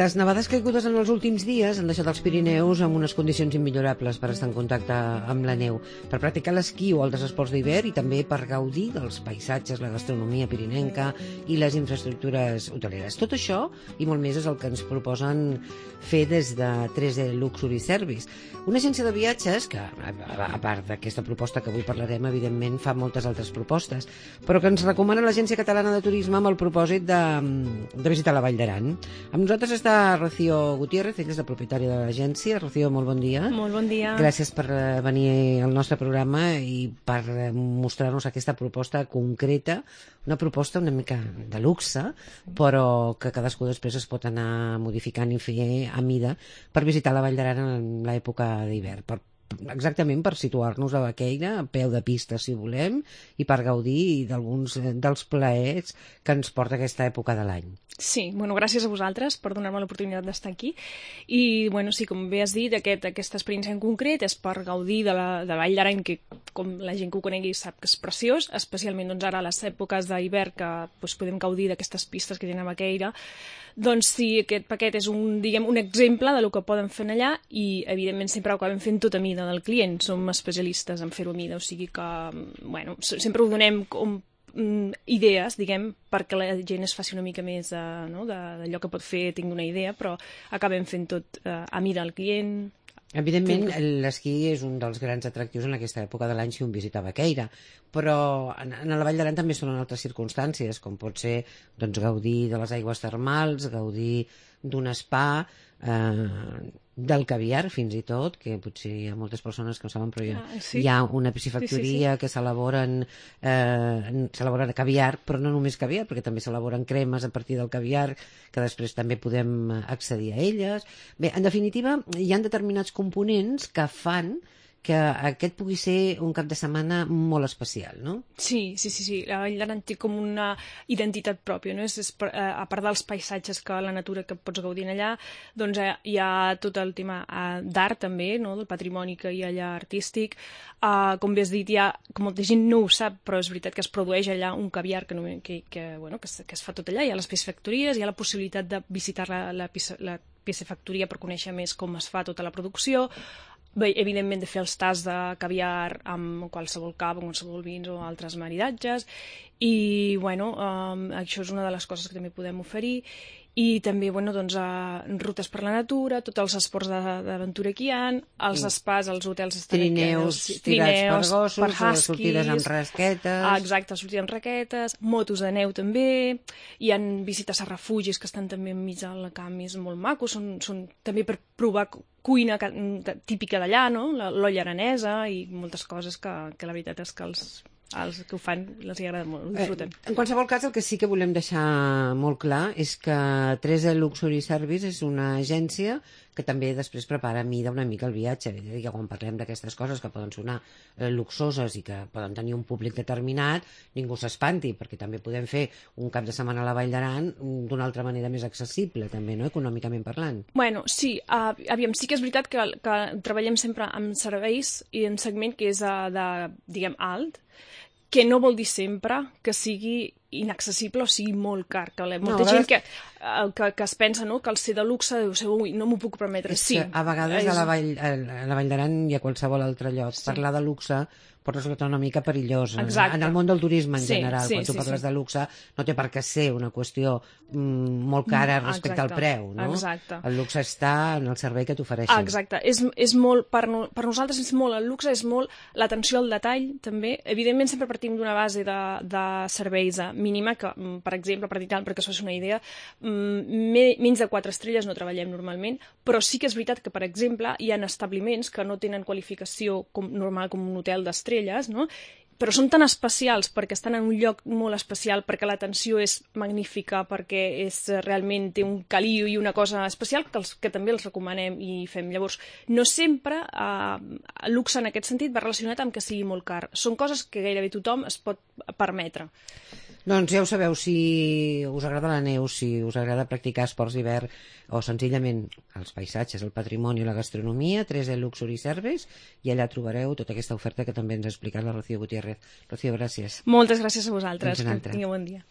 Les nevades caigudes en els últims dies han deixat els Pirineus amb unes condicions immillorables per estar en contacte amb la neu, per practicar l'esquí o altres esports d'hivern i també per gaudir dels paisatges, la gastronomia pirinenca i les infraestructures hoteleres. Tot això i molt més és el que ens proposen fer des de 3D Luxury Service, una agència de viatges que, a part d'aquesta proposta que avui parlarem, evidentment fa moltes altres propostes, però que ens recomana l'Agència Catalana de Turisme amb el propòsit de visitar la Vall d'Aran. Amb nosaltres està Rocío Gutiérrez, ella és la propietària de l'agència. Rocío, molt bon dia. Molt bon dia. Gràcies per venir al nostre programa i per mostrar-nos aquesta proposta concreta, una proposta una mica de luxe, però que cadascú després es pot anar modificant i fer a mida per visitar la Vall d'Aran en l'època d'hivern, exactament per situar-nos a Baqueira, a peu de pista si volem, i per gaudir d'alguns dels plaers que ens porta aquesta època de l'any. Sí, gràcies a vosaltres per donar-me l'oportunitat d'estar aquí. I, sí, com bé has dit, aquesta experiència en concret és per gaudir de la Vall d'Aran, que com la gent que ho conegui sap que és preciós, especialment ara a les èpoques d'hivern que podem gaudir d'aquestes pistes que tenen a Baqueira. Doncs sí, aquest paquet és un exemple del que poden fer allà i, evidentment, sempre ho acabem fent tot a mida del client. Som especialistes en fer-ho a mida, o sigui que, sempre ho donem com idees, perquè la gent es faci una mica més d'allò que pot fer, tingui una idea, però acabem fent tot a mida del client. Evidentment, l'esquí és un dels grans atractius en aquesta època de l'any si un visita Baqueira, però en la Vall d'Aran també són en altres circumstàncies, com pot ser gaudir de les aigües termals, gaudir d'un spa, del caviar fins i tot, que potser hi ha moltes persones que ho saben, però hi ha una piscifactoria que s'elaboren caviar, però no només caviar, perquè també s'elaboren cremes a partir del caviar, que després també podem accedir a elles. Bé, en definitiva, hi ha determinats components que fan que aquest pugui ser un cap de setmana molt especial, no? Sí. La Vall d'Aran té com una identitat pròpia, no? A part dels paisatges, la natura que pots gaudir allà, doncs hi ha tot el tema d'art també, no? Del patrimoni que hi ha allà artístic. Com bé has dit, que molta gent no ho sap, però és veritat que es produeix allà un caviar que es fa tot allà. Hi ha les piscifactories, hi ha la possibilitat de visitar la piscifactoria per conèixer més com es fa tota la producció. Bé, evidentment de fer els tasts de caviar amb qualsevol cava, qualsevol vins o altres maridatges i això és una de les coses que també podem oferir i també rutes per la natura, tots els esports d'aventura que hi ha, els spas, els hotels trineus tirats per gossos, per huskies, sortides amb rasquetes. Exacte, sortides amb raquetes, motos de neu també, hi ha visites a refugis que estan també enmig del camp, és molt maco, són també per provar cuina típica d'allà, no? L'olla aranesa i moltes coses que la veritat és que els que ho fan els agrada molt, ho disfruten. En qualsevol cas, el que sí que volem deixar molt clar és que 3D Luxury Service és una agència que també després prepara a mida una mica el viatge. Que quan parlem d'aquestes coses que poden sonar luxoses i que poden tenir un públic determinat, ningú s'espanti, perquè també podem fer un cap de setmana a la Vall d'Aran d'una altra manera més accessible, també, no? Econòmicament parlant. Sí, aviam, sí que és veritat que treballem sempre amb serveis i en segment que és alt, que no vol dir sempre que sigui inaccessible o sigui molt car. Molta gent que es pensa que el ser de luxe deu ser, no m'ho puc permetre. Sí, a vegades a la Vall d'Aran i a qualsevol altre lloc parlar de luxe pot resultar una mica perillós. En el món del turisme en general, quan tu parles de luxe, no té per què ser una qüestió molt cara respecte al preu, no? Exacte. El luxe està en el servei que t'ofereixen. Exacte. És molt, per nosaltres és molt el luxe, és molt l'atenció al detall, també. Evidentment sempre partim d'una base de serveis mínima, que, per exemple, perquè això és una idea, menys de 4 estrelles no treballem normalment, però sí que és veritat que, per exemple, hi ha establiments que no tenen qualificació normal com un hotel d'estrelles, no? Però són tan especials perquè estan en un lloc molt especial, perquè l'atenció és magnífica, perquè realment té un caliu i una cosa especial que també els recomanem i fem. Llavors, no sempre el luxe en aquest sentit va relacionat amb que sigui molt car. Són coses que gairebé tothom es pot permetre. Doncs ja ho sabeu, si us agrada la neu, si us agrada practicar esports d'hivern o senzillament els paisatges, el patrimoni i la gastronomia, 3D Luxury Service, i allà trobareu tota aquesta oferta que també ens ha explicat la Rocío Gutiérrez. Rocío, gràcies. Moltes gràcies a vosaltres. Que tingueu bon dia.